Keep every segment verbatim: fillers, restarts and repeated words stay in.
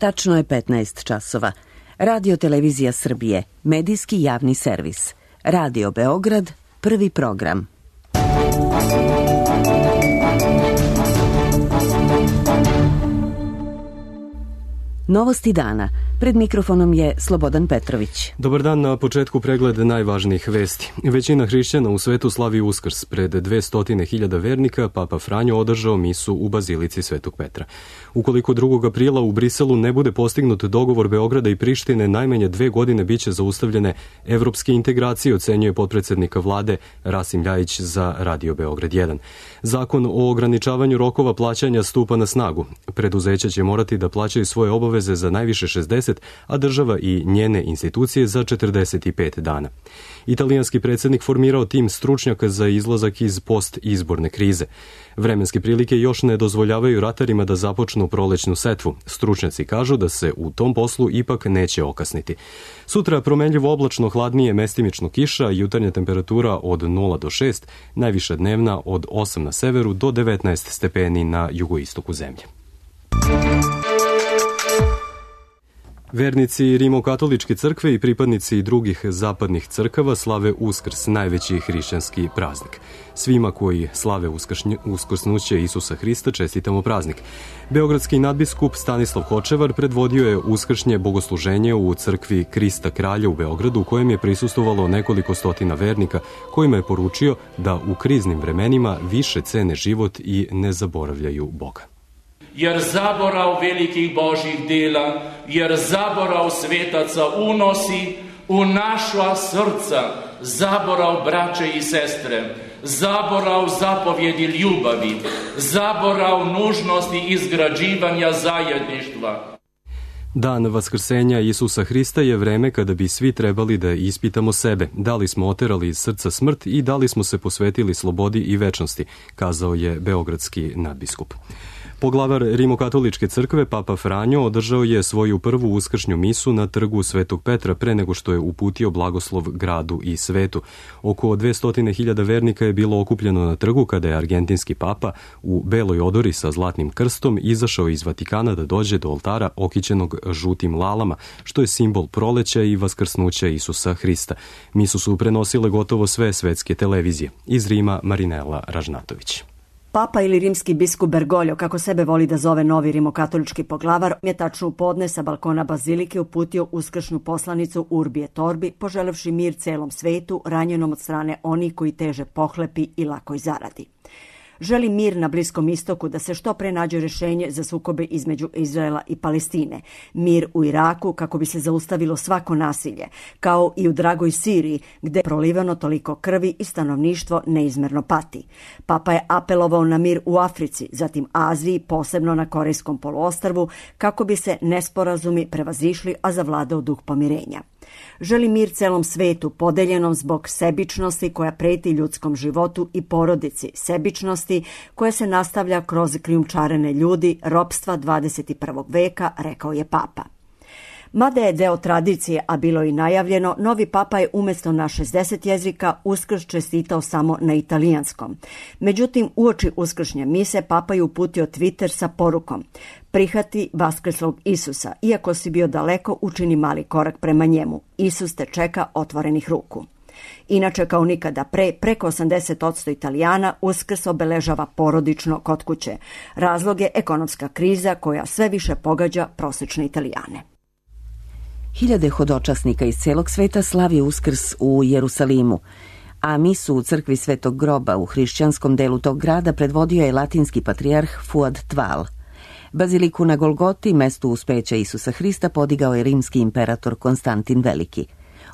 Tačno je petnaest časova. Radio Televizija Srbije, medijski javni servis. Radio Beograd, prvi program. Novosti dana. Pred mikrofonom je Slobodan Petrović. Dobar dan, na početku pregled najvažnijih vesti. Većina hrišćana u svetu slavi Uskrs. Pred dvesta hiljada vernika Papa Franjo održao misu u Bazilici Svetog Petra. Ukoliko drugog aprila u Briselu ne bude postignut dogovor Beograda i Prištine, najmanje dve godine biće zaustavljene evropske integracije, ocenjuje potpredsednika vlade Rasim Ljajić za Radio Beograd jedan. Zakon o ograničavanju rokova plaćanja stupa na snagu. Preduzeća će morati da plaćaju svoje obaveze za najviše šezdeset, a država i njene institucije za četrdeset pet dana. Italijanski predsjednik formirao tim stručnjaka za izlazak iz post-izborne krize. Vremenske prilike još ne dozvoljavaju ratarima da započnu prolećnu setvu. Stručnjaci kažu da se u tom poslu ipak neće okasniti. Sutra promenljivo oblačno, hladnije, mestimično kiša, jutarnja temperatura od nula do šest, najviša dnevna od osam na severu do devetnaest stepeni na jugoistoku zemlje. Vernici Rimokatoličke crkve i pripadnici drugih zapadnih crkava slave Uskrs, najveći hrišćanski praznik. Svima koji slave uskrsnuće Isusa Hrista čestitamo praznik. Beogradski nadbiskup Stanislav Hočevar predvodio je uskršnje bogosluženje u crkvi Krista Kralja u Beogradu, u kojem je prisustvovalo nekoliko stotina vernika, kojima je poručio da u kriznim vremenima više cene život i ne zaboravljaju Boga. Jer zaborav velikih Božjih dela, jer zaborav svetaca unosi u naša srca zaborav braće i sestre, zaborav zapovjedi ljubavi, zaborav nužnosti izgrađivanja zajedništva. Dan vaskrsenja Isusa Hrista je vreme kada bi svi trebali da ispitamo sebe, da li smo oterali iz srca smrt i da li smo se posvetili slobodi i večnosti, kazao je beogradski nadbiskup. Poglavar Rimokatoličke crkve, Papa Franjo, održao je svoju prvu uskršnju misu na trgu Svetog Petra pre nego što je uputio blagoslov gradu i svetu. Oko dvesta hiljada vernika je bilo okupljeno na trgu kada je argentinski papa u beloj odori sa zlatnim krstom izašao iz Vatikana da dođe do oltara okićenog žutim lalama, što je simbol proleća i vaskrsnuća Isusa Hrista. Misu su prenosile gotovo sve svetske televizije. Iz Rima Marinela Ražnatović. Papa ili rimski biskup Bergoglio, kako sebe voli da zove novi rimokatolički poglavar, je tačno u podne sa balkona bazilike uputio uskršnju poslanicu Urbi et Orbi, poželevši mir celom svetu, ranjenom od strane onih koji teže pohlepi i lakoj zaradi. Želi mir na Bliskom istoku, da se što pre nađe rješenje za sukobe između Izraela i Palestine. Mir u Iraku kako bi se zaustavilo svako nasilje, kao i u dragoj Siriji gde je prolivano toliko krvi i stanovništvo neizmerno pati. Papa je apelovao na mir u Africi, zatim Aziji, posebno na Korejskom poluostrvu, kako bi se nesporazumi prevazišli, a zavladao duh pomirenja. Želi mir celom svetu, podeljenom zbog sebičnosti koja preti ljudskom životu i porodici, sebičnosti koja se nastavlja kroz krijumčarene ljudi, ropstva dvadeset prvog veka, rekao je Papa. Mada je deo tradicije, a bilo i najavljeno, novi papa je umjesto na šezdeset jezika Uskrs čestitao samo na italijanskom. Međutim, uoči uskršnje mise papa je uputio Twitter sa porukom: prihvati vaskrslog Isusa, iako si bio daleko, učini mali korak prema njemu. Isus te čeka otvorenih ruku. Inače, kao nikada pre, preko osamdeset posto Italijana Uskrs obeležava porodično kod kuće. Razlog je ekonomska kriza koja sve više pogađa prosječne Italijane. Hiljade hodočasnika iz celog sveta slavi Uskrs u Jerusalimu, a misu u crkvi Svetog groba u hrišćanskom delu tog grada predvodio je latinski patrijarh Fuad Tval. Baziliku na Golgoti, mestu uspeća Isusa Hrista, podigao je rimski imperator Konstantin Veliki.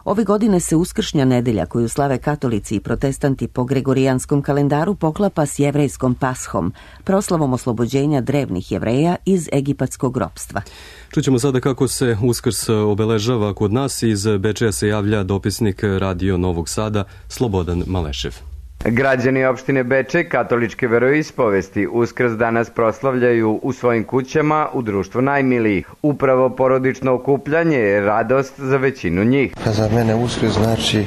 Ove godine se uskršnja nedelja, koju slave katolici i protestanti po gregorijanskom kalendaru, poklapa s jevrejskom Pashom, proslavom oslobođenja drevnih Jevreja iz egipatskog ropstva. Čućemo sada kako se Uskrs obeležava kod nas. Iz Bečeja se javlja dopisnik Radio Novog Sada Slobodan Malešev. Građani opštine Bečej katoličke veroispovesti Uskrs danas proslavljaju u svojim kućama u društvu najmilijih. Upravo porodično okupljanje je radost za većinu njih. Za mene Uskrs znači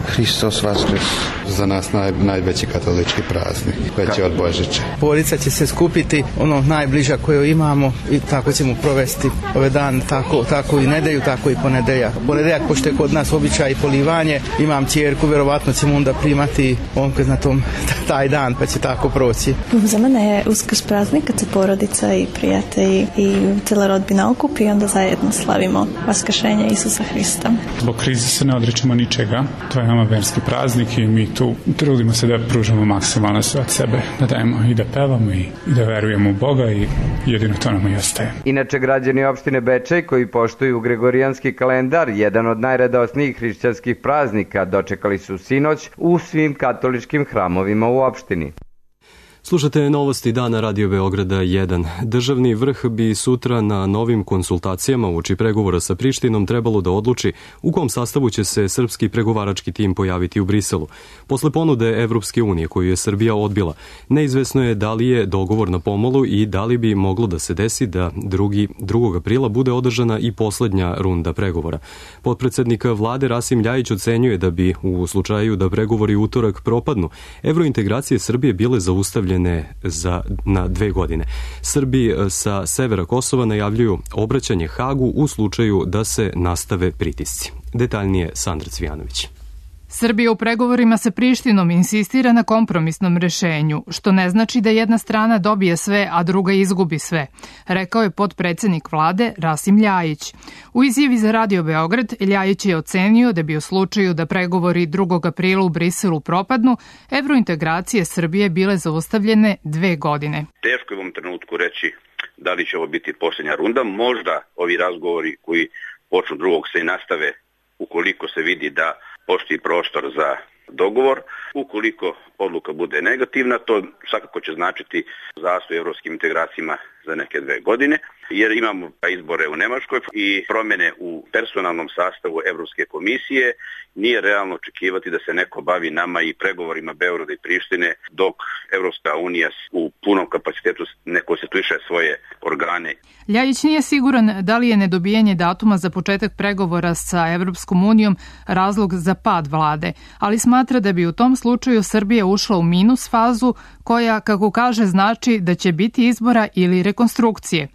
Hristos Vaskrs. za nas naj, najveći katolički praznik, veći od Božića. Porodica će se skupiti, ono najbliža koju imamo i tako ćemo provesti ove dane, tako, tako i nedelju, tako i ponedeljak. Ponedeljak, pošto je kod nas običaj i polivanje, imam ćerku, verovatno ćemo onda primati omkaz na tom taj dan, pa će tako proći. Za mene je Uskrs praznik kad se porodica i prijatelji i cijela rodbina okupi i onda zajedno slavimo vaskršenje Isusa Hrista. Zbog krize se ne odričemo ničega, to je nama verski praznik i mi tu trudimo se da pružamo maksimalno sve od sebe, da dajemo i da pevamo i, i da verujemo u Boga i jedino to nam i ostaje. Inače, građani opštine Bečej koji poštuju gregorijanski kalendar, jedan od najradosnijih hrišćanskih praznika, dočekali su sinoć u svim katoličkim hramovima u opštini. Slušate novosti dana Radio Beograda jedan. Državni vrh bi sutra na novim konsultacijama uoči pregovora sa Prištinom trebalo da odluči u kom sastavu će se srpski pregovarački tim pojaviti u Briselu. Posle ponude Evropske unije koju je Srbija odbila, neizvesno je da li je dogovor na pomolu i da li bi moglo da se desi da drugi, drugog aprila bude održana i poslednja runda pregovora. Potpredsednik vlade Rasim Ljajić ocenjuje da bi u slučaju da pregovori utorak propadnu, evrointegracije Srbije bile zaustavljene za, na dve godine. Srbi sa severa Kosova najavljuju obraćanje Hagu u slučaju da se nastave pritisci. Detaljnije Sandra Cvijanović. Srbija u pregovorima sa Prištinom insistira na kompromisnom rešenju, što ne znači da jedna strana dobije sve, a druga izgubi sve, rekao je potpredsednik vlade Rasim Ljajić. U izjavi za Radio Beograd, Ljajić je ocenio da bi u slučaju da pregovori drugog aprila u Briselu propadnu, evrointegracije Srbije bile zaustavljene dve godine. Teško je u ovom trenutku reći da li će ovo biti posljednja runda. Možda ovi razgovori koji počnu drugog se i nastave ukoliko se vidi da postoji prostor za dogovor. Ukoliko odluka bude negativna, to svakako će značiti zastoj evropskim integracijama za neke dve godine, jer imamo izbore u Nemačkoj i promjene u personalnom sastavu Evropske komisije. Nije realno očekivati da se neko bavi nama i pregovorima Beograda i Prištine dok Evropska unija u punom kapacitetu ne konstituiše svoje organe. Ljajić nije siguran da li je nedobijanje datuma za početak pregovora sa Evropskom unijom razlog za pad vlade, ali smatra da bi u tom slučaju Srbija ušla u minus fazu koja, kako kaže, znači da će biti izbora ili rekonstrukcije.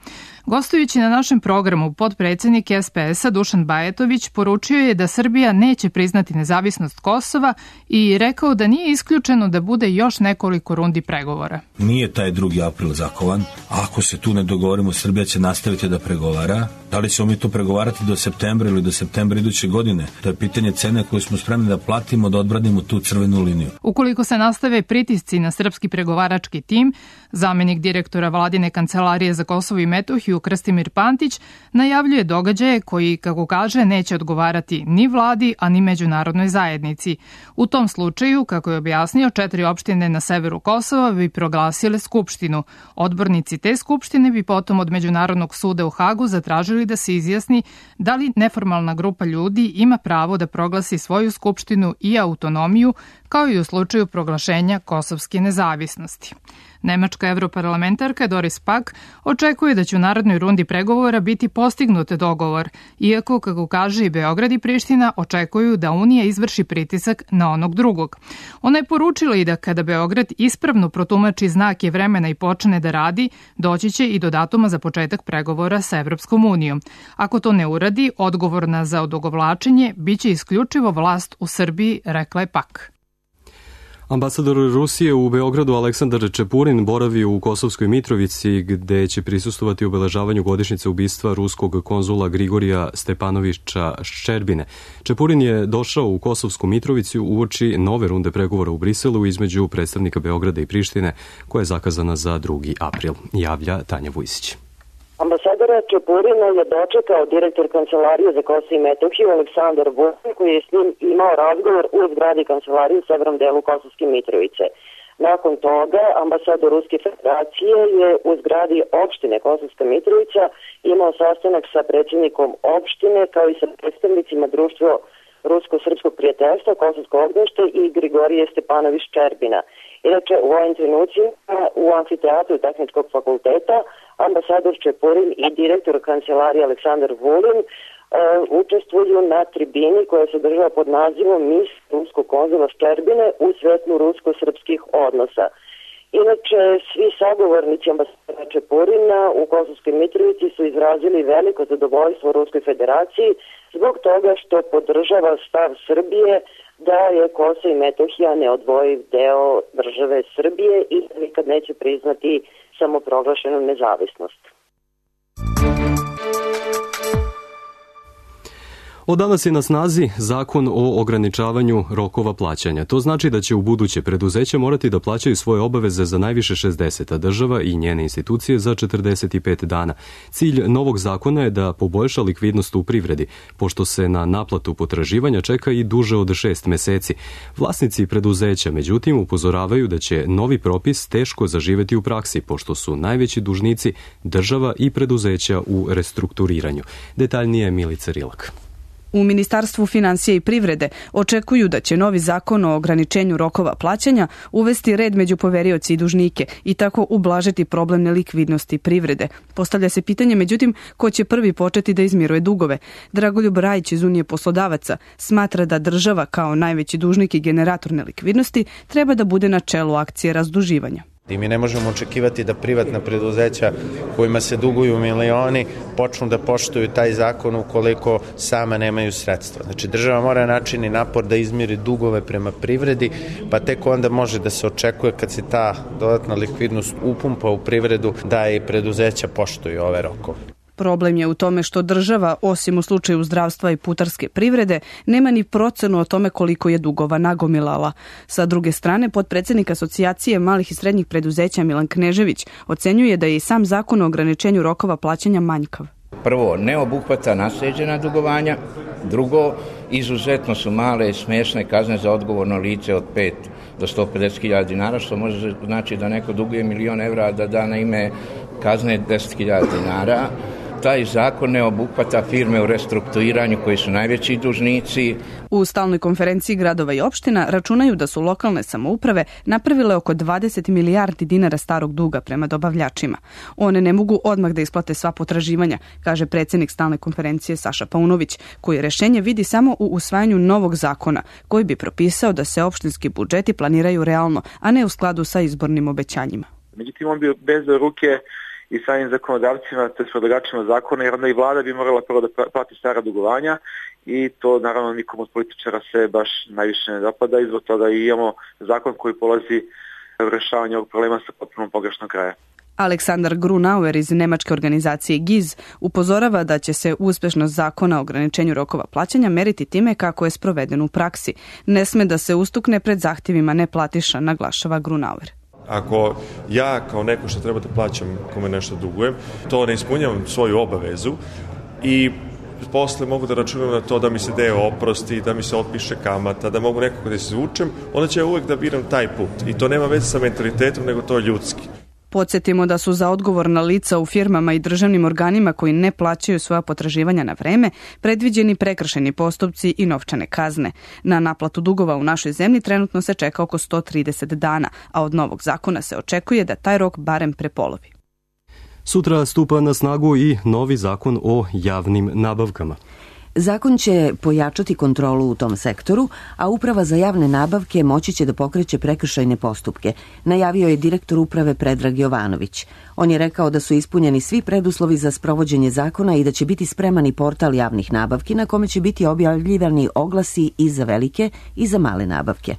Gostujući na našem programu, potpredsednik S P S-a Dušan Bajatović poručio je da Srbija neće priznati nezavisnost Kosova i rekao da nije isključeno da bude još nekoliko rundi pregovora. Nije taj drugi april zakovan. Ako se tu ne dogovorimo, Srbija će nastaviti da pregovara. Da li ćemo mi to pregovarati do septembra ili do septembra iduće godine? To je pitanje cene koju smo spremni da platimo, da odbranimo tu crvenu liniju. Ukoliko se nastave pritisci na srpski pregovarački tim, zamenik direktora Vladine kancelarije za Kosovo i Metohiju Krstimir Pantić najavljuje događaje koji, kako kaže, neće odgovarati ni vladi, a ni međunarodnoj zajednici. U tom slučaju, kako je objasnio, četiri opštine na severu Kosova bi proglasile skupštinu. Odbornici te skupštine bi potom od Međunarodnog suda u Hagu zatražili da se izjasni da li neformalna grupa ljudi ima pravo da proglasi svoju skupštinu i autonomiju, kao i u slučaju proglašenja kosovske nezavisnosti. Nemačka evroparlamentarka Doris Pack očekuje da će u narodnoj rundi pregovora biti postignut dogovor, iako, kako kaže i Beograd i Priština, očekuju da Unija izvrši pritisak na onog drugog. Ona je poručila i da kada Beograd ispravno protumači znake vremena i počne da radi, doći će i do datuma za početak pregovora sa Evropskom unijom. Ako to ne uradi, odgovorna za odugovlačenje biće isključivo vlast u Srbiji, rekla je Pack. Ambasador Rusije u Beogradu Aleksandar Čepurin boravi u Kosovskoj Mitrovici gde će prisustovati obeležavanju godišnjice ubistva ruskog konzula Grigorija Stepanovića Ščerbine. Čepurin je došao u Kosovsku Mitrovicu uoči nove runde pregovora u Briselu između predstavnika Beograda i Prištine, koja je zakazana za drugi april, javlja Tanja Vujsić. Ambasadora Čepurina je dočekao direktor Kancelarije za Kosovo i Metohiju Aleksandar Vulin, koji je s njim imao razgovor u zgradi kancelarije u severnom delu Kosovske Mitrovice. Nakon toga ambasador Ruske federacije je u zgradi opštine Kosovska Mitrovica imao sastanak sa predsjednikom opštine kao i sa predstavnicima društva Rusko-srpskog prijateljstva, Kosovsko ognjište i Grigorije Stepanović Ščerbina. Inače, u ovim trenucima u amfiteatru Tehničkog fakulteta ambasador Čepurin i direktor kancelarije Aleksandar Vulin učestvuju na tribini koja se održava pod nazivom Mis ruskog konzula Ščerbine u svetlu rusko-srpskih odnosa. Inače, svi sagovornici ambasadora Čepurina u Kosovskoj Mitrovici su izrazili veliko zadovoljstvo Ruskoj federaciji zbog toga što podržava stav Srbije da je Kosovo i Metohija neodvojiv deo države Srbije i nikad neće priznati samoproglašenu nezavisnost. Od danas je na snazi zakon o ograničavanju rokova plaćanja. To znači da će u buduće preduzeća morati da plaćaju svoje obaveze za najviše šezdeset, a država i njene institucije za četrdeset pet dana. Cilj novog zakona je da poboljša likvidnost u privredi, pošto se na naplatu potraživanja čeka i duže od šest meseci. Vlasnici preduzeća, međutim, upozoravaju da će novi propis teško zaživeti u praksi, pošto su najveći dužnici država i preduzeća u restrukturiranju. Detaljnije Milica Rilak. U Ministarstvu finansija i privrede očekuju da će novi zakon o ograničenju rokova plaćanja uvesti red među poverioci i dužnike i tako ublažiti problem nelikvidnosti privrede. Postavlja se pitanje, međutim, ko će prvi početi da izmiruje dugove. Dragoljub Rajić iz Unije poslodavaca smatra da država kao najveći dužnik i generator nelikvidnosti treba da bude na čelu akcije razduživanja. I mi ne možemo očekivati da privatna preduzeća kojima se duguju milioni počnu da poštuju taj zakon ukoliko sama nemaju sredstva. Znači država mora načini napor da izmiri dugove prema privredi, pa tek onda može da se očekuje kad se ta dodatna likvidnost upumpa u privredu da i preduzeća poštuju ove rokove. Problem je u tome što država, osim u slučaju zdravstva i putarske privrede, nema ni procenu o tome koliko je dugova nagomilala. Sa druge strane, potpredsednik Asocijacije malih i srednjih preduzeća Milan Knežević ocenjuje da je i sam zakon o ograničenju rokova plaćanja manjkav. Prvo, ne obuhvata nasleđena dugovanja. Drugo, izuzetno su male i smešne kazne za odgovorno lice od pet do sto pedeset hiljada dinara, što može znači da neko duguje milion evra da da na ime kazne deset hiljada dinara. Taj zakon ne obuhvata firme u restrukturiranju koji su najveći dužnici. U stalnoj konferenciji gradova i opština računaju da su lokalne samouprave napravile oko dvadeset milijardi dinara starog duga prema dobavljačima. One ne mogu odmah da isplate sva potraživanja, kaže predsjednik stalne konferencije Saša Paunović, koji rešenje vidi samo u usvajanju novog zakona, koji bi propisao da se opštinski budžeti planiraju realno, a ne u skladu sa izbornim obećanjima. Međutim, on bi bez ruke i samim zakonodavcima, te s predlagačima zakona, jer onda i vlada bi morala prvo da plati stara dugovanja i to naravno nikom od političara se baš najviše ne dopada i zbog toga i imamo zakon koji polazi u rešavanje ovog problema sa potpuno pogrešnog kraja. Aleksandar Grunauer iz nemačke organizacije G I Z upozorava da će se uspešnost zakona o ograničenju rokova plaćanja meriti time kako je sproveden u praksi. Ne sme da se ustukne pred zahtjevima neplatiša, naglašava Grunauer. Ako ja kao neko što treba da plaćam kome nešto dugujem, to ne ispunjavam svoju obavezu i posle mogu da računam na to da mi se deo oprosti, da mi se otpiše kamata, da mogu nekako da se izvučem, onda ću ja uvek da biram taj put. I to nema veze sa mentalitetom, nego to je ljudski. Podsjetimo da su za odgovorna lica u firmama i državnim organima koji ne plaćaju svoja potraživanja na vreme predviđeni prekršeni postupci i novčane kazne. Na naplatu dugova u našoj zemlji trenutno se čeka oko sto trideset dana, a od novog zakona se očekuje da taj rok barem prepolovi. Sutra stupa na snagu i novi zakon o javnim nabavkama. Zakon će pojačati kontrolu u tom sektoru, a Uprava za javne nabavke moći će da pokreće prekršajne postupke, najavio je direktor uprave Predrag Jovanović. On je rekao da su ispunjeni svi preduslovi za sprovođenje zakona i da će biti spreman i portal javnih nabavki na kome će biti objavljivani oglasi i za velike i za male nabavke.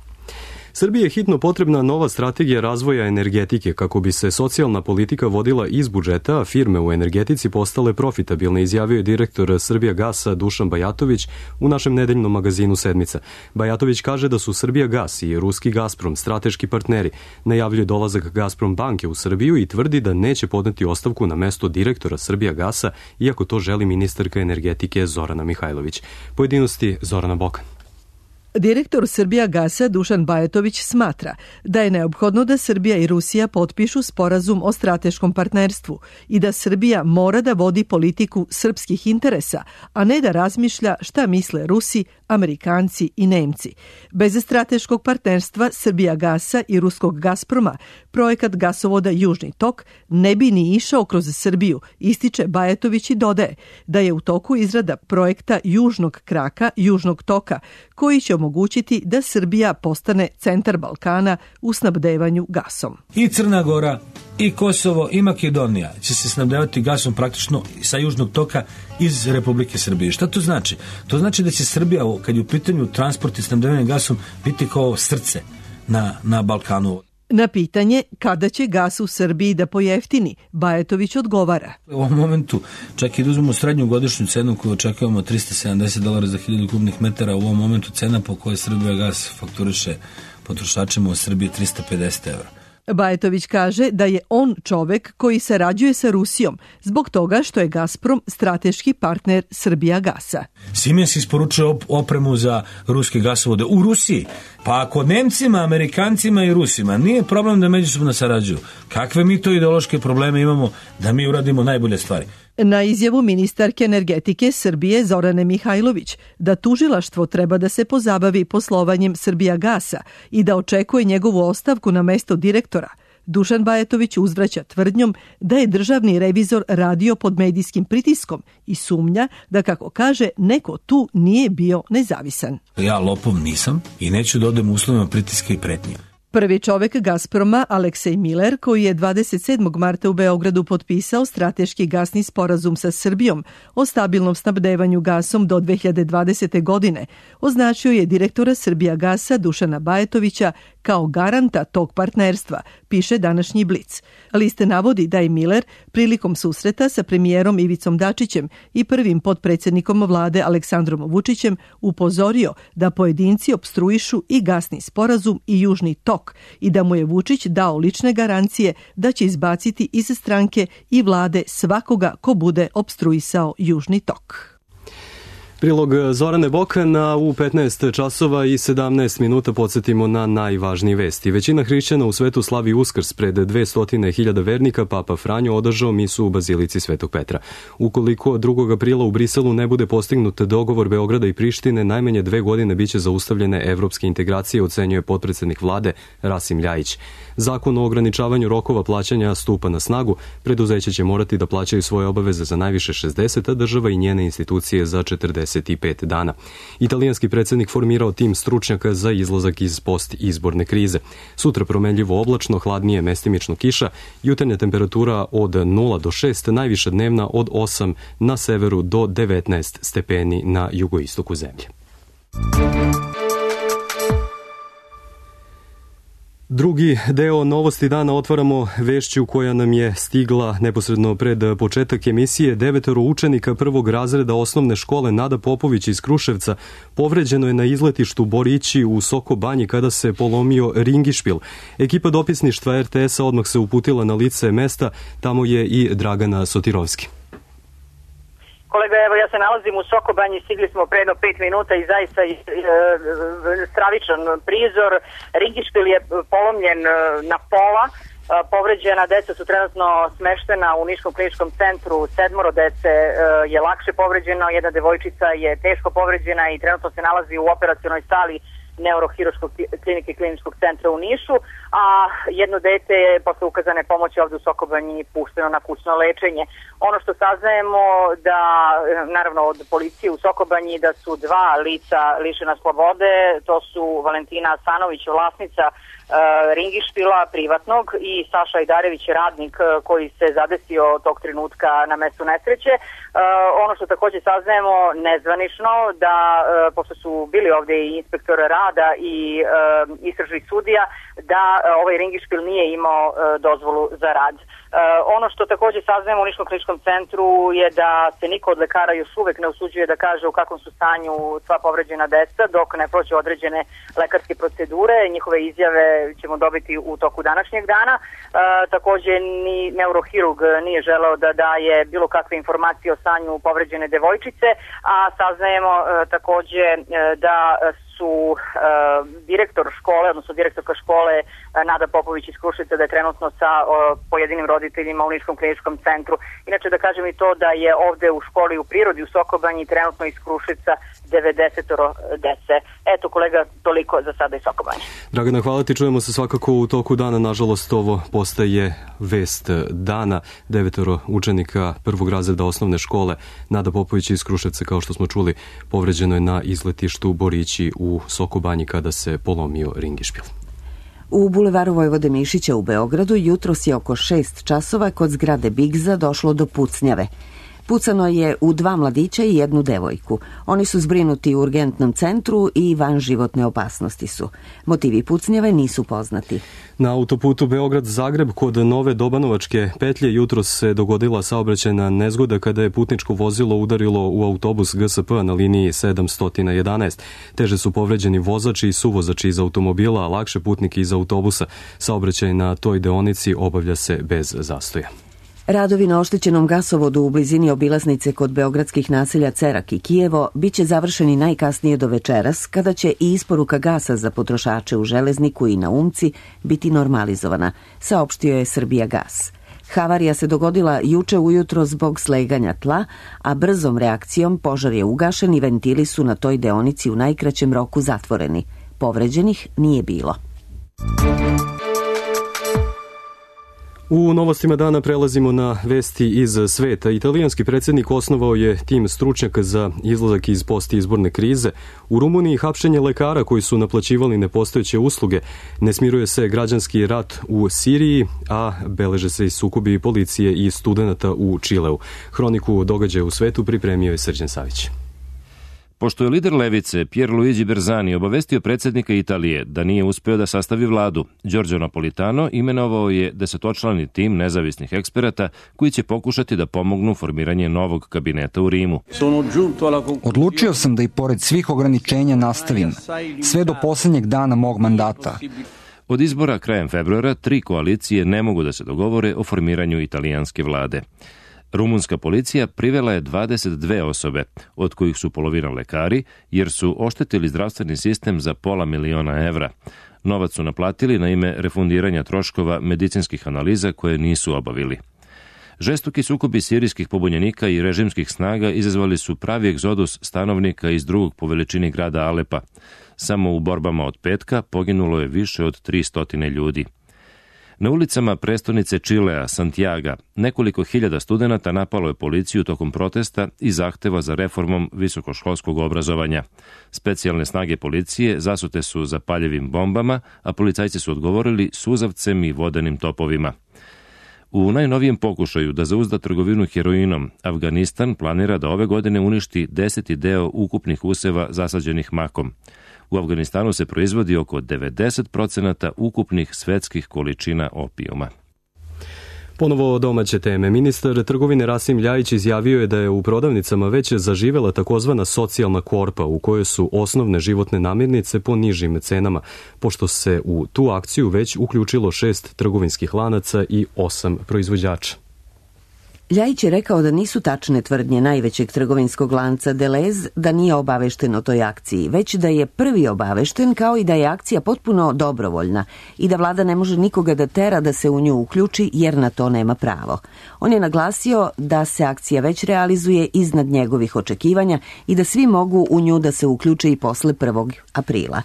Srbiji je hitno potrebna nova strategija razvoja energetike kako bi se socijalna politika vodila iz budžeta, a firme u energetici postale profitabilne, izjavio je direktor Srbijagasa Dušan Bajatović u našem nedeljnom magazinu Sedmica. Bajatović kaže da su Srbijagas i ruski Gazprom strateški partneri. Najavljuje dolazak Gazprom banke u Srbiju i tvrdi da neće podneti ostavku na mesto direktora Srbijagasa, iako to želi ministarka energetike Zorana Mihajlović. Pojedinosti Zorana Bokan. Direktor Srbijagasa Dušan Bajatović smatra da je neophodno da Srbija i Rusija potpišu sporazum o strateškom partnerstvu i da Srbija mora da vodi politiku srpskih interesa, a ne da razmišlja šta misle Rusi, Amerikanci i Nemci. Bez strateškog partnerstva Srbijagasa i ruskog Gazproma projekat gasovoda Južni tok ne bi ni išao kroz Srbiju, ističe Bajatović i dodaje da je u toku izrada projekta Južnog kraka Južnog toka, koji će omogućiti da Srbija postane centar Balkana u snabdevanju gasom. I Crna Gora, i Kosovo, i Makedonija će se snabdevati gasom praktično sa Južnog toka iz Republike Srbije. Šta to znači? To znači da će Srbija, kad je u pitanju transport i snabdevanje gasom, biti kao srce na, na Balkanu. Na pitanje kada će gas u Srbiji da pojeftini, Bajatović odgovara. U ovom momentu, čak i da uzmemo srednju godišnju cenu koju očekujemo trista sedamdeset dolara za hiljadu kubnih metara, u ovom momentu cena po kojoj Srbijagas fakturiše potrošačima u Srbiji trista pedeset evra. Bajatović kaže da je on čovek koji sarađuje sa Rusijom zbog toga što je Gazprom strateški partner Srbijagasa. Siemens isporučuje opremu za ruske gasovode u Rusiji. Pa ako Nemcima, Amerikancima i Rusima nije problem da međusobno sarađuju, kakve mi to ideološke probleme imamo da mi uradimo najbolje stvari? Na izjavu ministarke energetike Srbije Zorane Mihajlović da tužilaštvo treba da se pozabavi poslovanjem Srbijagasa i da očekuje njegovu ostavku na mesto direktora, Dušan Bajatović uzvraća tvrdnjom da je državni revizor radio pod medijskim pritiskom i sumnja da, kako kaže, neko tu nije bio nezavisan. Ja lopov nisam i neću da odem uslovima pritiska i pretnje. Prvi čovek Gazproma, Aleksej Miller, koji je dvadeset sedmog marta u Beogradu potpisao strateški gasni sporazum sa Srbijom o stabilnom snabdevanju gasom do dve hiljade dvadesete. godine, označio je direktora Srbijagasa Dušana Bajatovića kao garanta tog partnerstva, piše današnji Blic. Liste navodi da je Miller prilikom susreta sa premijerom Ivicom Dačićem i prvim potpredsjednikom vlade Aleksandrom Vučićem upozorio da pojedinci opstruišu i gasni sporazum i Južni tok i da mu je Vučić dao lične garancije da će izbaciti iz stranke i vlade svakoga ko bude opstruisao Južni tok. Prilog Zorane Bokana u petnaest časova i sedamnaest minuta podsjetimo na najvažnije vesti. Većina hrišćana u svetu slavi Uskrs. Pred dvesta hiljada vernika Papa Franjo održao misu u Bazilici Svetog Petra. Ukoliko drugog aprila u Briselu ne bude postignut dogovor Beograda i Prištine, najmanje dve godine biće zaustavljene evropske integracije, ocenjuje potpredsednik vlade Rasim Ljajić. Zakon o ograničavanju rokova plaćanja stupa na snagu. Preduzeće će morati da plaćaju svoje obaveze za najviše šezdeset, a država i njene institucije za četrdeset pet dana. Italijanski predsjednik formirao tim stručnjaka za izlazak iz post-izborne krize. Sutra promenljivo oblačno, hladnije, mestimično kiša, jutarnja temperatura od nula do šest, najviša dnevna od osam na severu do devetnaest stepeni na jugoistoku zemlje. Drugi deo Novosti dana otvaramo vešću koja nam je stigla neposredno pred početak emisije. Devetoro učenika prvog razreda osnovne škole Nada Popović iz Kruševca povređeno je na izletištu Borići u Soko Banji kada se polomio ringišpil. Ekipa dopisništva er te es-a odmah se uputila na lice mesta, tamo je i Dragana Sotirovski. Kolega, evo ja se nalazim u Sokobanji, stigli smo pre jedno pet minuta i zaista e, stravičan prizor. Ringišpil je polomljen na pola, e, povređena deca su trenutno smeštena u Niškom kliničkom centru, sedmoro dece e, je lakše povređeno, jedna devojčica je teško povređena i trenutno se nalazi u operacionoj sali neurohiruškog klinike kliničkog centra u Nišu, a jedno dete je posle ukazane pomoći ovde u Sokobanji pušteno na kućno lečenje. Ono što saznajemo da, naravno od policije u Sokobanji, da su dva lica lišena slobode, to su Valentina Asanović, vlasnica uh, ringišpila privatnog, i Saša Ajdarević, radnik koji se zadesio tog trenutka na mestu nesreće. Uh, ono što takođe saznajemo nezvanično, da uh, pošto su bili ovde i inspektor rada i uh, istražni sudija, da uh, ovaj ringišpil nije imao uh, dozvolu za rad. Uh, ono što takođe saznajemo u Niškom kliničkom centru je da se niko od lekara još uvek ne usuđuje da kaže u kakvom su stanju sva povređena deca dok ne prođe određene lekarske procedure. Njihove izjave ćemo dobiti u toku današnjeg dana. Uh, takođe ni neurohirurg nije želeo da daje bilo kakve informacije o stanju povređene devojčice, a saznajemo uh, takođe uh, da su uh, direktor škole, odnosno direktorka škole uh, Nada Popović iz Kruševca, da je trenutno sa uh, pojedinim roditeljima u Niškom kliničkom centru. Inače da kažem i to da je ovde u školi u prirodi u Sokobanji trenutno iz Kruševca devedeset dece. Eto kolega, toliko za sada iz Sokobanje. Dragana, hvala ti, čujemo se svakako u toku dana. Nažalost, ovo postaje vest dana. Devetoro učenika prvog razreda osnovne škole Nada Popović iz Kruševca, kao što smo čuli, povređeno je na izletištu Borići u Sokobanji kada se polomio ringišpil. U bulevaru Vojvode Mišića u Beogradu jutros je oko šest časova kod zgrade Bigza došlo do pucnjave. Pucano je u dva mladića i jednu devojku. Oni su zbrinuti u urgentnom centru i van životne opasnosti su. Motivi pucnjave nisu poznati. Na autoputu Beograd-Zagreb kod Nove Dobanovačke petlje jutros se dogodila saobraćajna nezgoda kada je putničko vozilo udarilo u autobus G S P na liniji sedamsto jedanaest. Teže su povređeni vozači i suvozači iz automobila, a lakše putnike iz autobusa. Saobraćaj na toj deonici obavlja se bez zastoja. Radovi na oštećenom gasovodu u blizini obilaznice kod beogradskih naselja Cerak i Kijevo biće završeni najkasnije do večeras, kada će i isporuka gasa za potrošače u Železniku i na Umci biti normalizovana, saopštio je Srbijagas. Havarija se dogodila juče ujutro zbog sleganja tla, a brzom reakcijom požar je ugašen i ventili su na toj deonici u najkraćem roku zatvoreni. Povređenih nije bilo. U novostima dana prelazimo na vesti iz sveta. Italijanski predsjednik osnovao je tim stručnjaka za izlazak iz postizborne krize. U Rumuniji hapšenje lekara koji su naplaćivali nepostojeće usluge. Ne smiruje se građanski rat u Siriji, a beleže se i sukobi policije i studenata u Čileu. Hroniku događaja u svetu pripremio je Srđan Savić. Pošto je lider levice Pierluigi Bersani obavestio predsjednika Italije da nije uspeo da sastavi vladu, Giorgio Napolitano imenovao je desetočlani tim nezavisnih eksperata koji će pokušati da pomognu formiranje novog kabineta u Rimu. Odlučio sam da i pored svih ograničenja nastavim, sve do posljednjeg dana mog mandata. Od izbora krajem februara tri koalicije ne mogu da se dogovore o formiranju italijanske vlade. Rumunska policija privela je dvadeset dve osobe, od kojih su polovina lekari, jer su oštetili zdravstveni sistem za pola miliona evra. Novac su naplatili na ime refundiranja troškova medicinskih analiza koje nisu obavili. Žestoki sukobi sirijskih pobunjenika i režimskih snaga izazvali su pravi egzodus stanovnika iz drugog po veličini grada Alepa. Samo u borbama od petka poginulo je više od tristo ljudi. Na ulicama prestonice Čilea, Santiaga, nekoliko hiljada studenata napalo je policiju tokom protesta i zahteva za reformom visokoškolskog obrazovanja. Specijalne snage policije zasute su zapaljivim bombama, a policajci su odgovorili suzavcem i vodenim topovima. U najnovijem pokušaju da zauzda trgovinu heroinom, Afganistan planira da ove godine uništi deseti deo ukupnih useva zasađenih makom. U Afganistanu se proizvodi oko devedeset procenata ukupnih svetskih količina opijuma. Ponovo domaće teme. Ministar trgovine Rasim Ljajić izjavio je da je u prodavnicama već zaživela takozvana socijalna korpa u kojoj su osnovne životne namirnice po nižim cenama, pošto se u tu akciju već uključilo šest trgovinskih lanaca i osam proizvođača. Ljajić je rekao da nisu tačne tvrdnje najvećeg trgovinskog lanca Delez da nije obavešten o toj akciji, već da je prvi obavešten, kao i da je akcija potpuno dobrovoljna i da vlada ne može nikoga da tera da se u nju uključi jer na to nema pravo. On je naglasio da se akcija već realizuje iznad njegovih očekivanja i da svi mogu u nju da se uključe i posle prvog aprila.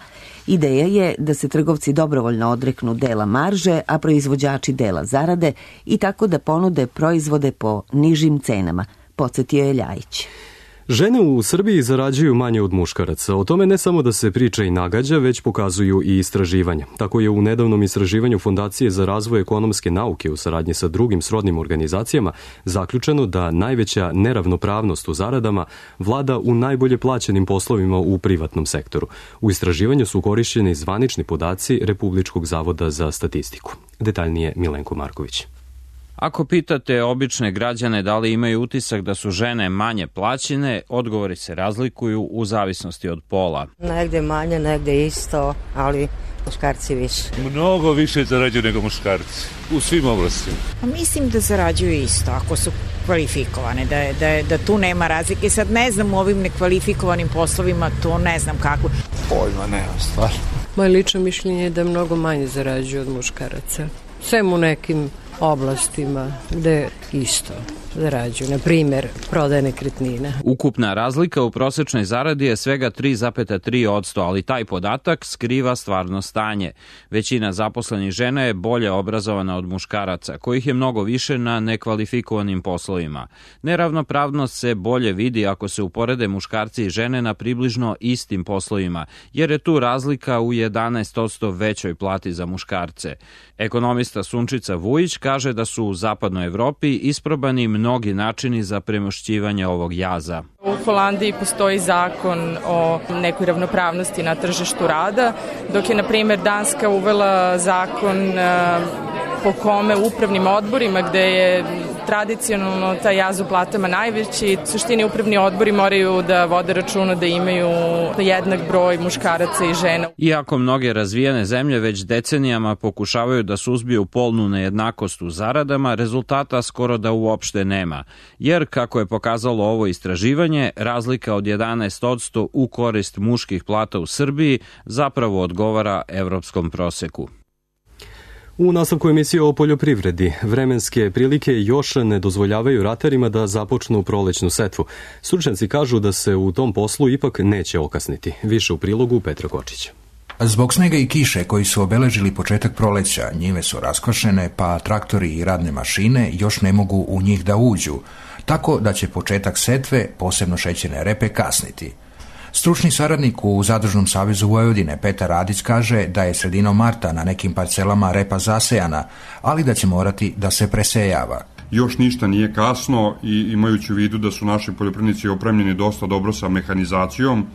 Ideja je da se trgovci dobrovoljno odreknu dela marže, a proizvođači dela zarade i tako da ponude proizvode po nižim cenama, podsjetio je Ljajić. Žene u Srbiji zarađuju manje od muškaraca. O tome ne samo da se priča i nagađa, već pokazuju i istraživanja. Tako je u nedavnom istraživanju Fondacije za razvoj ekonomske nauke u saradnji sa drugim srodnim organizacijama zaključeno da najveća neravnopravnost u zaradama vlada u najbolje plaćenim poslovima u privatnom sektoru. U istraživanju su korišćeni zvanični podaci Republičkog zavoda za statistiku. Detaljnije Milenko Marković. Ako pitate obične građane da li imaju utisak da su žene manje plaćene, odgovori se razlikuju u zavisnosti od pola. Negde manje, negde isto, ali muškarci više. Mnogo više zarađuju nego muškarci, u svim oblastima. Mislim da zarađuju isto, ako su kvalifikovane, da, da, da tu nema razlike. Sad ne znam u ovim nekvalifikovanim poslovima, to ne znam kako. Pojma nema stvarno. Moje lično mišljenje je da mnogo manje zarađuju od muškaraca. Sve u nekim oblastima gde isto zarađuju, na primjer prodaje nekretnina. Ukupna razlika u prosečnoj zaradi je svega tri zarez tri posto, ali taj podatak skriva stvarno stanje. Većina zaposlenih žena je bolje obrazovana od muškaraca, kojih je mnogo više na nekvalifikovanim poslovima. Neravnopravnost se bolje vidi ako se uporede muškarci i žene na približno istim poslovima, jer je tu razlika u jedanaest posto većoj plati za muškarce. Ekonomista Sunčica Vujić kaže da su u zapadnoj Evropi isprobani mnogi načini za premošćivanje ovog jaza. U Holandiji postoji zakon o nekoj ravnopravnosti na tržištu rada, dok je, na primjer, Danska uvela zakon po kome upravnim odborima, gde je tradicionalno taj jaz u platama najveći, u suštini upravni odbori moraju da vode računa da imaju jednak broj muškaraca i žena. Iako mnoge razvijene zemlje već decenijama pokušavaju da suzbiju polnu nejednakost u zaradama, rezultata skoro da uopšte nema. Jer, kako je pokazalo ovo istraživanje, razlika od jedanaest posto u korist muških plata u Srbiji zapravo odgovara evropskom proseku. U nastavku emisije o poljoprivredi, vremenske prilike još ne dozvoljavaju ratarima da započnu prolećnu setvu. Stručnjaci kažu da se u tom poslu ipak neće okasniti. Više u prilogu Petra Kočića. Zbog snega i kiše koji su obeležili početak proleća, njive su raskošene, pa traktori i radne mašine još ne mogu u njih da uđu, tako da će početak setve, posebno šećerne repe, kasniti. Stručni saradnik u Zadružnom savezu Vojvodine Petar Radić kaže da je sredinom marta na nekim parcelama repa zasejana, ali da će morati da se presejava. Još ništa nije kasno i imajući u vidu da su naši poljoprivrednici opremljeni dosta dobro sa mehanizacijom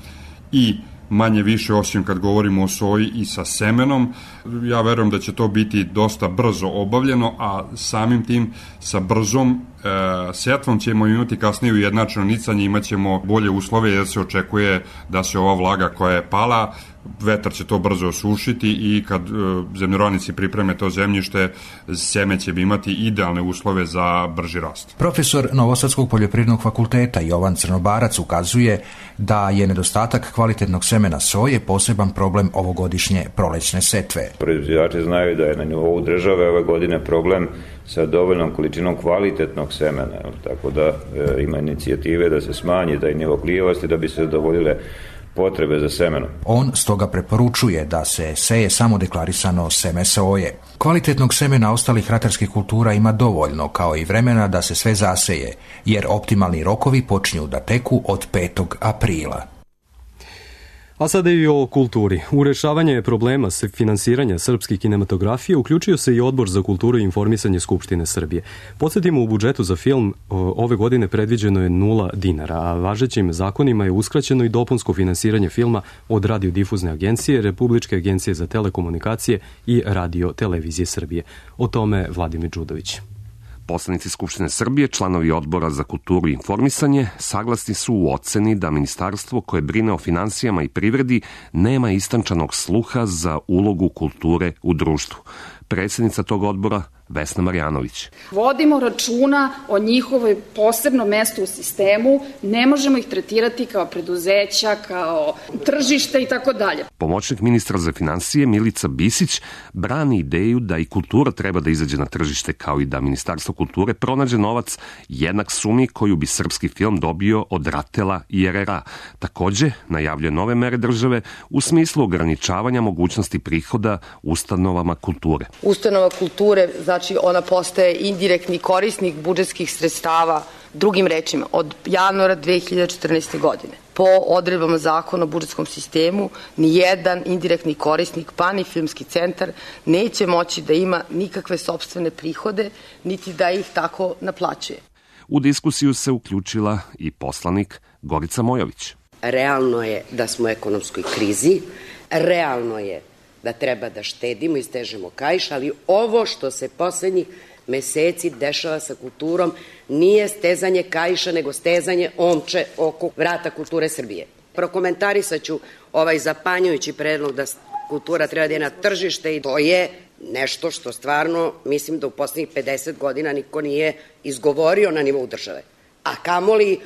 i manje više, osim kad govorimo o soji, i sa semenom. Ja verujem da će to biti dosta brzo obavljeno, a samim tim sa brzom e, setvom ćemo imati kasnije ujednačeno nicanje, imat ćemo bolje uslove jer se očekuje da se ova vlaga koja je pala, vetar će to brzo osušiti i kad e, zemljoradnici pripreme to zemljište, seme će imati idealne uslove za brži rast. Profesor Novosadskog poljoprivrednog fakulteta Jovan Crnobarac ukazuje da je nedostatak kvalitetnog semena soje poseban problem ovogodišnje prolećne setve. Proizvođači znaju da je na nivou države ove godine problem sa dovoljnom količinom kvalitetnog semena, tako da e, ima inicijative da se smanji taj nivo klijavosti da bi se zadovoljile potrebe za semenom. On stoga preporučuje da se seje samo deklarisano seme soje. Kvalitetnog semena ostalih ratarskih kultura ima dovoljno, kao i vremena da se sve zaseje, jer optimalni rokovi počinju da teku od petog aprila. A sada i o kulturi. U rešavanje problema se finansiranja srpske kinematografije uključio se i Odbor za kulturu i informisanje Skupštine Srbije. Podsjetimo, u budžetu za film ove godine predviđeno je nula dinara, a važećim zakonima je uskraćeno i dopunsko finansiranje filma od radiodifuzne agencije, Republičke agencije za telekomunikacije i Radio televizije Srbije. O tome Vladimir Đudović. Poslanici Skupštine Srbije, članovi Odbora za kulturu i informisanje, saglasni su u oceni da ministarstvo koje brine o finansijama i privredi nema istančanog sluha za ulogu kulture u društvu. Predsjednica tog odbora Vesna Marjanović. Vodimo računa o njihovoj posebnom mestu u sistemu, ne možemo ih tretirati kao preduzeća, kao tržište i tako dalje. Pomoćnik ministra za finansije Milica Bisić brani ideju da i kultura treba da izađe na tržište, kao i da Ministarstvo kulture pronađe novac jednak sumi koju bi srpski film dobio od Ratela i er er a. Takođe, najavljuje nove mere države u smislu ograničavanja mogućnosti prihoda ustanovama kulture. Ustanova kulture, znači ona postaje indirektni korisnik budžetskih sredstava, drugim rečima, od januara dve hiljade četrnaeste. godine. Po odredbama zakona o budžetskom sistemu, ni jedan indirektni korisnik, pa ni filmski centar, neće moći da ima nikakve sopstvene prihode, niti da ih tako naplaćuje. U diskusiju se uključila i poslanik Gorica Mojović. Realno je da smo u ekonomskoj krizi, realno je da treba da štedimo i stežemo kaiš, ali ovo što se poslednjih meseci dešava sa kulturom nije stezanje kaiša, nego stezanje omče oko vrata kulture Srbije. Prokomentarisat ću ovaj zapanjujući predlog da kultura treba da je na tržište i to je nešto što stvarno mislim da u poslednjih pedeset godina niko nije izgovorio na nivou države, a kamoli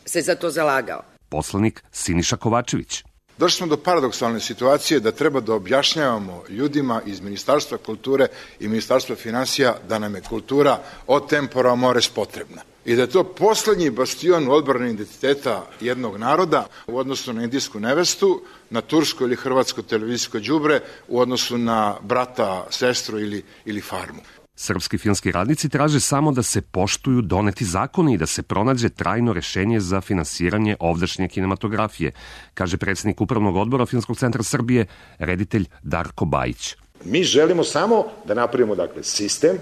se za to zalagao. Poslanik Siniša Kovačević. Došli smo do paradoksalne situacije da treba da objašnjavamo ljudima iz Ministarstva kulture i Ministarstva finansija da nam je kultura od tempora mores potrebna. I da je to poslednji bastion odbrane identiteta jednog naroda u odnosu na indijsku nevestu, na tursko ili hrvatsko televizijsko đubre, u odnosu na brata, sestru ili, ili farmu. Srpski filmski radnici traže samo da se poštuju doneti zakoni i da se pronađe trajno rešenje za finansiranje ovdašnje kinematografije, kaže predsjednik Upravnog odbora Filmskog centra Srbije, reditelj Darko Bajić. Mi želimo samo da napravimo dakle, sistem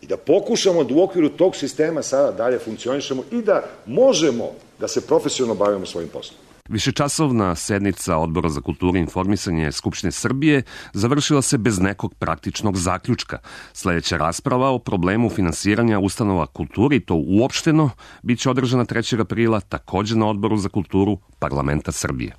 i da pokušamo da u okviru tog sistema sada dalje funkcionišemo i da možemo da se profesionalno bavimo svojim poslom. Višečasovna sednica Odbora za kulturu i informisanje Skupštine Srbije završila se bez nekog praktičnog zaključka. Sledeća rasprava o problemu finansiranja ustanova kulture i to uopšteno biće održana trećeg aprila takođe na Odboru za kulturu Parlamenta Srbije.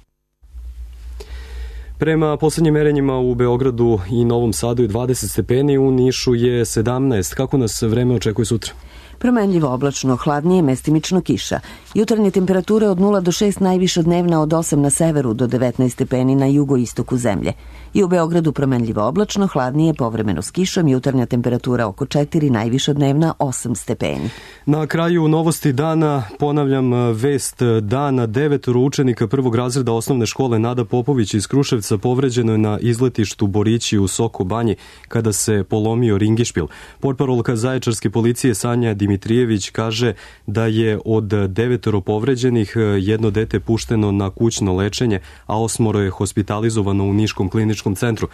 Prema poslednjim merenjima u Beogradu i Novom Sadu je dvadeset stepeni, u Nišu je sedamnaest. Kako nas vreme očekuje sutra? Promenljivo oblačno, hladnije, mestimično kiša. Jutarnje temperature od nula do šest, najviša dnevna od osam na severu do devetnaest stepeni na jugoistoku zemlje. I u Beogradu promenljivo oblačno, hladnije, povremeno s kišom, jutarnja temperatura oko četiri, najviša dnevna osam stepeni. Na kraju novosti dana, ponavljam vest dana, devetoro učenika prvog razreda osnovne škole Nada Popović iz Kruševca povređeno je na izletištu Borići u Soko Banji kada se polomio ringišpil. Portparolka Zaječarske policije Sanja Dimitrijević kaže da je od devetoro povređenih jedno dete pušteno na kućno lečenje, a osmoro je hospitalizovano u Niškom kliničkom centru.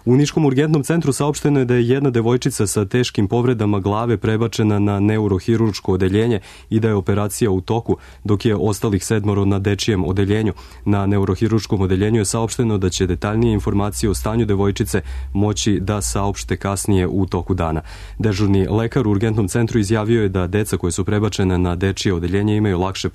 U Niškom urgentnom centru saopšteno je da je jedna devojčica sa teškim povredama glave prebačena na neurohirurško odeljenje i da je operacija u toku, dok je ostalih sedmoro na dečijem odeljenju. Na neurohirurškom odeljenju je saopšteno da će detaljnije informacije o stanju devojčice moći da saopšte kasnije u toku dana. Dežurni lekar u urgentnom centru izjavio je da deca koje su prebačene na dečije odeljenje imaju lakše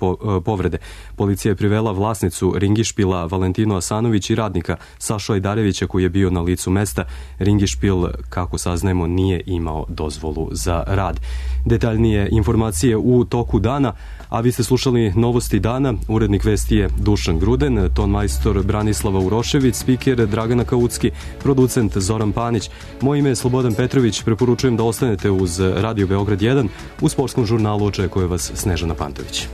povrede. Policija je privela vlasnicu ringišpila Valentinu Asanović i radnika Sašu Ajdarevića koji je bio na licu mesta. Ringišpil, kako saznajemo, nije imao dozvolu za rad. Detaljnije informacije u toku dana, a vi ste slušali novosti dana. Urednik vesti je Dušan Gruden, ton majstor Branislava Urošević, spiker Dragana Kaucki, producent Zoran Panić. Moje ime je Slobodan Petrović, preporučujem da ostanete uz Radio Beograd jedan. U sportskom žurnalu očekuje vas Snežana Pantović.